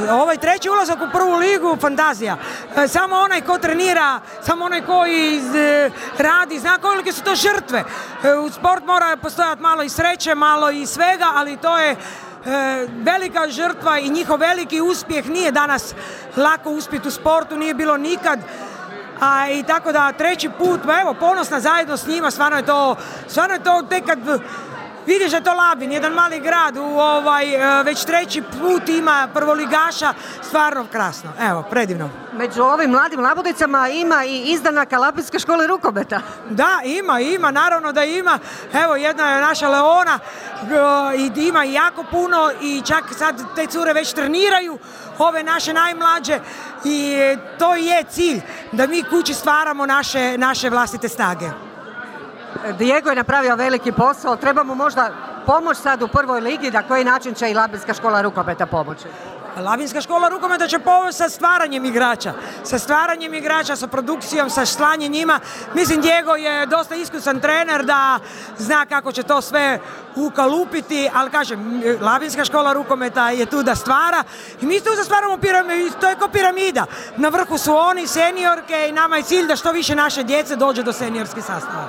Ovaj treći ulazak u prvu ligu, fantazija. Samo onaj ko trenira, samo onaj koji radi, zna kolike su to žrtve. U sport mora postojati malo i sreće, malo i svega, ali to je velika žrtva i njihov veliki uspjeh. Nije danas lako uspjeti u sportu, nije bilo nikad. I tako da treći put, evo, ponosna zajedno s njima, stvarno je to tek kad vidiš da je to Labin, jedan mali grad, već treći put ima prvoligaša, stvarno krasno, evo, predivno. Među ovim mladim labudicama ima i izdanaka Labinske škole rukometa. Da, ima, naravno da ima. Evo, jedna je naša Leona, ima jako puno i čak sad te cure već treniraju, ove naše najmlađe, i to je cilj, da mi kući stvaramo naše vlastite snage. Diego je napravio veliki posao, treba mu možda pomoć sad u prvoj ligi, na koji način će i Labinska škola rukometa pomoći? Labinska škola rukometa će pomoći sa stvaranjem igrača, sa produkcijom, sa slanjem njima. Mislim, Diego je dosta iskusan trener da zna kako će to sve ukalupiti, ali kažem, Labinska škola rukometa je tu da stvara i mi tu stvaramo piramidu, to je kao piramida. Na vrhu su oni, seniorke, i nama je cilj da što više naše djece dođe do seniorskih sastava.